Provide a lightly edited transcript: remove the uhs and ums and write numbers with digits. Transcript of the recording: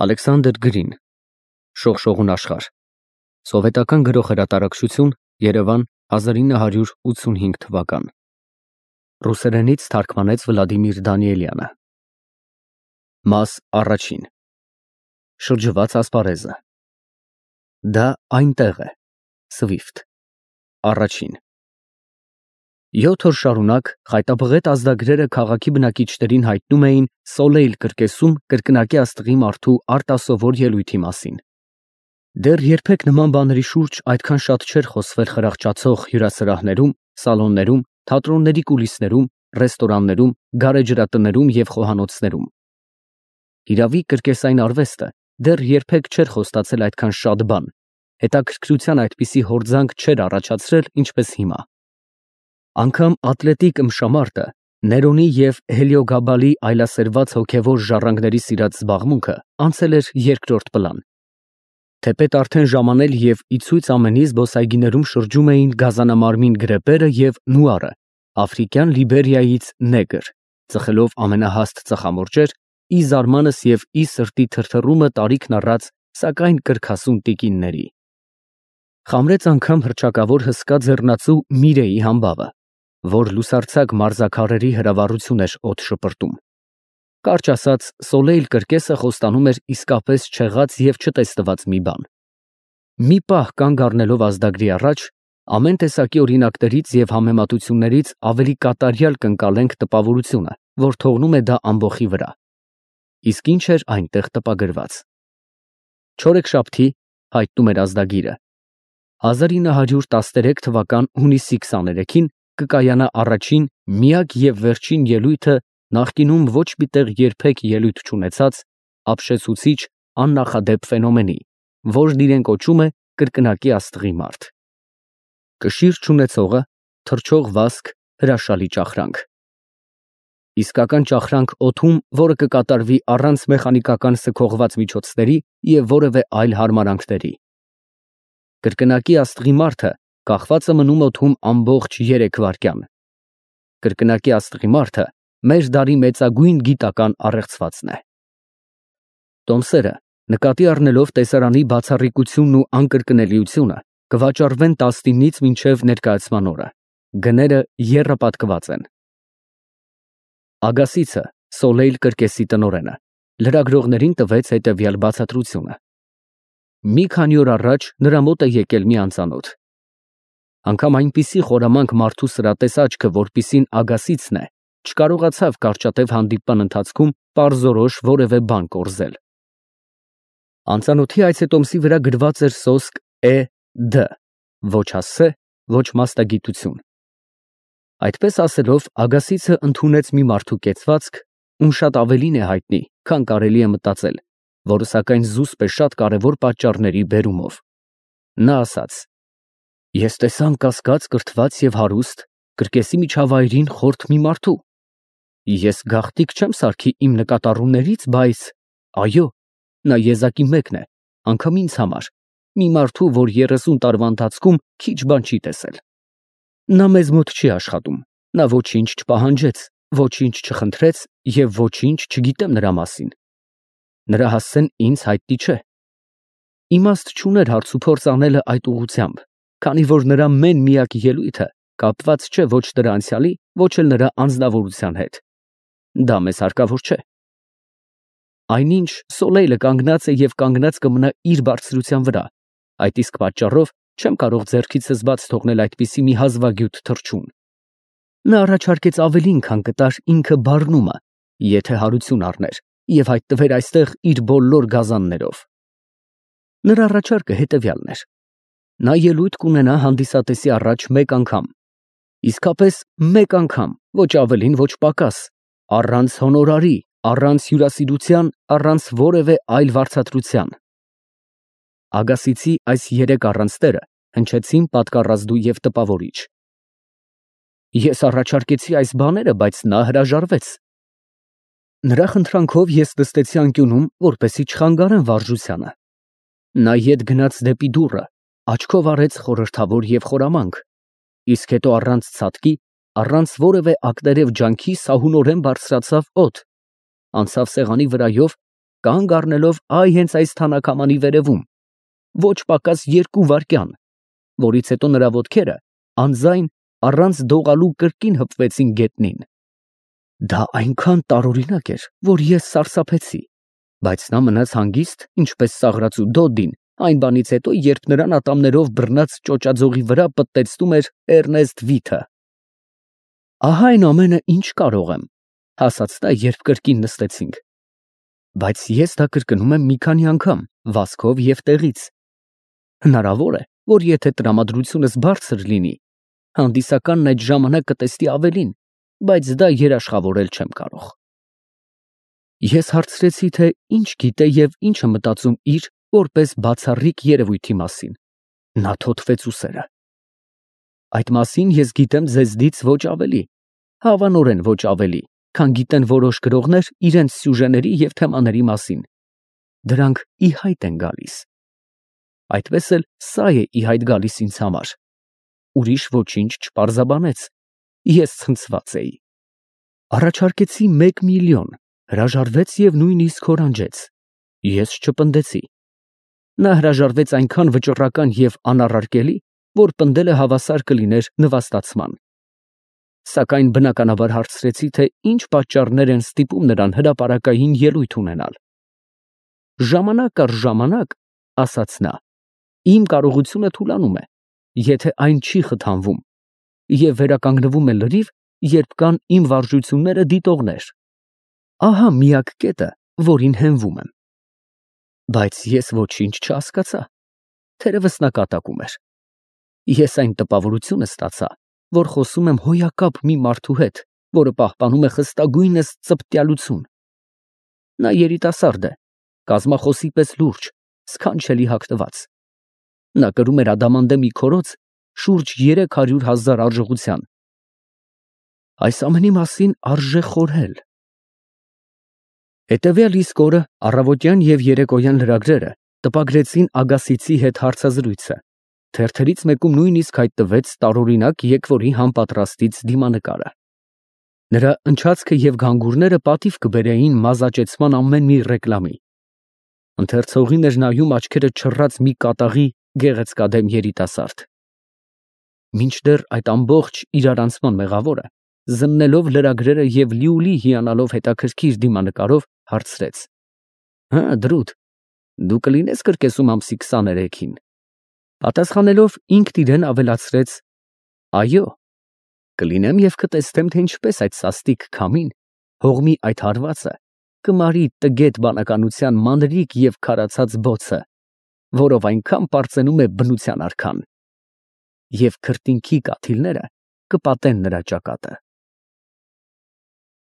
Ալեքսանդր Գրին, Շողշողուն աշխարհ, Սովետական գրող հրատարակչություն, Երևան, 1985 թվական։ Ռուսերենից թարգմանեց Վլադիմիր Դանիելյանը։ Մաս առաջին։ Շրջված ասպարեզը։ Դա այնտեղ է։ Սվիֆտ։ Առաջին։ 7 օր շարունակ խայտաբղետ ազդագրերը քաղաքի բնակիչներին հայտնում էին Սոլեյլ կրկեսում կրկնակի աստղի մարդու արտասովոր ելույթի մասին։ Դեռ երբեք նման բաների շուրջ այդքան շատ չէր խոսվել խրախճացող հյուրասրահներում, սալոններում, թատրոնների կուլիսներում, ռեստորաններում, գարեջրատներում և խոհանոցներում։ Իրավի կրկեսային արվեստը դեռ երբեք չէր խոստացել այդքան շատ բան, հետաքրքրության այդպիսի հորձանք չէր առաջացրել, ինչպես հիմա։ Անգամ ատլետիկ ըմբշամարտը, Ներոնի և Հելիոգաբալի այլասերված հոգևոր ժառանգների սիրած զբաղմունքը անցել էր երկրորդ պլան։ Թեպետ արդեն ժամանել և ի ցույց ամենի զբոսայգիներում շրջում էին գազանամարմին գրեպերը և նուարը, աֆրիկյան Լիբերիայից նեգր, ծխելով ամենահաստ ծխամորճեր, ի զարմանս և ի սրտի թրթռումը տարիքն առած, սակայն կրքասուն տիկինների։ Խամրեց անգամ հռչակավոր հսկա ձեռնածու Միրեի համբավը, որ լուսարձակ մարզաքարերի հրավառություն էր օդ շպրտում։ Կարճ ասած, Սոլեյլ կրկեսը խոստանում էր իսկապես չեղած և չտեսնված մի բան։ Մի պահ կանգ առնելով ազդագրի առաջ, ամեն տեսակի օրինակներից և համեմատություններից ավելի կատարյալ կընկալենք տպավորությունը, որ թողնում է դա ամբոխի վրա։ Իսկ ինչ էր այնտեղ տպագրված։ Չորեքշաբթի, հայտնում էր ազդագիրը, 1913 թվական հունիսի 23-ին կկայանա առաջին, միակ և վերջին ելույթը նախկինում ոչ մի տեղ երբեք ելույթ չունեցած, ապշեցուցիչ, աննախադեպ ֆենոմենի, որն իրեն կոչում է կրկնակի աստղի մարդ։ Կշիռ չունեցողը, թռչող վազք, հրաշալի ճախրանք։ Իսկական ճախրանք օդում, որը կկատարվի առանց մեխանիկական սքողված միջոցների և որևէ այլ հարմարանքների։ Կրկնակի աստղի մարդը կախված է մնում օդում ամբողջ 3 վայրկյան։ Կրկնակի աստղի մարդը մեր դարի մեծագույն գիտական առեղծվածն է։ Տոմսերը, նկատի առնելով տեսարանի բացառիկությունն ու անկրկնելիությունը, կվաճառվեն 19-ից մինչև ներկայացման օրը։ Գները եռապատկված են։ Ագասիցը, Սոլեյլ կրկեսի տնօրենը, լրագրողներին տվեց հետևյալ բացատրությունը։ Մի քանի օր առաջ նրա մոտ է եկել մի անծանոթ։ Անգամ այնպիսի խորամանկ մարդու սրատես աչքը, որպիսին Ագասիցն է, չկարողացավ կարճատև հանդիպման ընթացքում պարզորոշ որևէ բան կորզել։ Անծանոթի այցետոմսի վրա գրված էր սոսկ Է.Դ. Ոչ հասցե, ոչ մասնագիտություն։ Այդպես ասելով, Ագասիցը ընդունեց մի մարդու կեցվածք, ում շատ ավելին է հայտնի, քան կարելի է մտածել, որը սակայն զուսպ է շատ կարևոր պատճառների բերումով։ Նա ասաց. Ես տեսա անկասկած կրթված և հարուստ, կրկեսի միջավայրին խորթ մի մարդու։ Ես գաղտնիք չեմ սարքի իմ նկատառումներից, բայց, այո, նա եզակի մեկն է, անգամ ինձ համար, մի մարդու, որ 30 տարվա ընթացքում քիչ բան չի տեսել։ Նա մեզ մոտ չի աշխատում, նա ոչինչ չպահանջեց, ոչինչ չխնդրեց և ոչինչ չգիտեմ նրա մասին։ Նրա հասցեն ինձ հայտնի չէ։ Իմաստ չուներ հարցուփորձ անելը այդ ուղղությամբ, քանի որ նրա մեն-միակ ելույթը կապված չէ ոչ նրա անցյալի, ոչ էլ նրա անձնավորության հետ։ Դա մեզ հարկավոր չէ։ Այնինչ Սոլեյլը կանգնած է և կանգնած կմնա իր բարձրության վրա, այդ իսկ պատճառով չեմ կարող ձեռքիցս բաց թողնել այդպիսի մի հազվագյուտ թռչուն։ Նա առաջարկեց ավելին, քան կտար ինքը բառնումը, եթե հարություն առներ և հայտնվեր այստեղ իր բոլոր գազաններով։ Նրա առաջարկը հետևյալն էր. նա ելույթ կունենա հանդիսատեսի առաջ մեկ անգամ, իսկապես մեկ անգամ, ոչ ավելին, ոչ պակաս, առանց հոնորարի, առանց հյուրասիրության, առանց որևէ այլ վարձատրության։ Ագասիցի այս 3 առանցները հնչեցին պատկառազդու և տպավորիչ։ Ես առաջարկեցի այս բաները, բայց նա հրաժարվեց։ Նրա խնդրանքով ես նստեցի անկյունում, որպեսզի չխանգարեմ վարժությանը։ Նա ետ գնաց դեպի դուռը, աչքով արեց խորհրդավոր և խորամանկ, իսկ հետո առանց ցատկի, առանց որևէ ակներև ջանքի սահունորեն բարձրացավ օդ, անցավ սեղանի վրայով կանգ առնելով հենց այս թանաքամանի վերևում, ոչ պակաս 2 վայրկյան, որից հետո նրա ոտքերը անձայն առանց դողալու կրկին հպվեցին գետնին։ Դա այնքան տարօրինակ էր, որ ես սարսափեցի, բայց նա մնաց հանգիստ, ինչպես Սաղրաթ ու Դոդդին, այն բանից հետո, երբ նրան ատամներով բռնած ճոճաձողի վրա պտտեցնում էր Էռնեստ Վիթը։ Ահա այն ամենը, ինչ կարող եմ, ասաց նա, երբ կրկին նստեցինք, բայց ես դա կրկնում եմ մի քանի անգամ, վազքով և տեղից։ Հնարավոր է, որ եթե տրամադրությունս բարձր լինի, հանդիսականն այդ ժամանակ կտեսնի ավելին, բայց դա երաշխավորել չեմ կարող։ Ես հարցրեցի, թե ինչ գիտե և ինչ է մտածում իր որպես բացառիկ երևույթի մասին։ Նա թոթվեց ուսերը։ Այդ մասին ես գիտեմ ձեզնից ոչ ավելի, հավանորեն ոչ ավելի, քան գիտեն որոշ գրողներ իրենց սյուժեների և թեմաների մասին։ Դրանք ի հայտ են գալիս։ Այդպես էլ սա է ի հայտ գալիս ինձ համար։ Ուրիշ ոչինչ չպարզաբանեց։ Ես ցնցված էի։ Առաջարկեցի 1 միլիոն, հրաժարվեց և նույնիսկ հորանջեց։ Ես չպնդեցի։ Նա հրաժարվեց այնքան վճռական և անառարկելի, որ պնդելը հավասար կլիներ նվաստացման։ Սակայն բնականաբար հարցրեցի, թե ինչ պատճառներ են ստիպում նրան հրապարակային ելույթ ունենալ։ Ժամանակ առ ժամանակ, ասաց նա, իմ կարողությունը թուլանում է, եթե այն չի խթանվում, և վերականգնվում է լրիվ, երբ կան իմ վարժությունները դիտողներ։ Ահա միակ կետը, որին հենվում եմ։ Բայց ես ոչինչ չհասկացա։ Թերևս նա կատակում էր։ Ես այն տպավորությունը ստացա, որ խոսում եմ հոյակապ մի մարդու հետ, որը պահպանում է խստագույնս ծպտյալություն։ Նա երիտասարդ է, կազմախոսի պես լուրջ, սքանչելի հագնված։ Նա կրում էր ադամանդե մի քորոց շուրջ 300,000 արժողության։ Այս ամենի մասին արժե խորհել։ Հետևյալ իսկ օրը առավոտյան և երեկոյան լրագրերը տպագրեցին Ագասիցի հետ հարցազրույցը։ Թերթերից մեկում նույնիսկ հայտնվեց տարօրինակ եկվորի համապատրաստից դիմանկարը։ Նրա ընչացքը և գանգուրները պատիվ կբերեին մազաճեցման ամեն մի ռեկլամի։ Ընթերցողին էր նայում աչքերը չռած մի կատաղի գեղեցկադեմ երիտասարդ։ Մինչդեռ այդ ամբողջ իրարանցման մեղավորը, զննելով լրագրերը և լիուլի հիանալով հետաքրքիր դիմանկարով, հարցրեց. Հը, դրուտ, դու կլինես կրկեսում ամսի 23-ին։ Պատասխանելով ինքն իրեն ավելացրեց. այո, կլինեմ և կտեսնեմ, թե ինչպես այդ սաստիկ քամին, հողմի այդ հարվածը, կմարի տգետ բանականության մանրիկ և քարացած բոցը, որով այնքան պարծենում է բնության արքան, և քրտինքի կաթիլները կպատեն նրա ճակատը։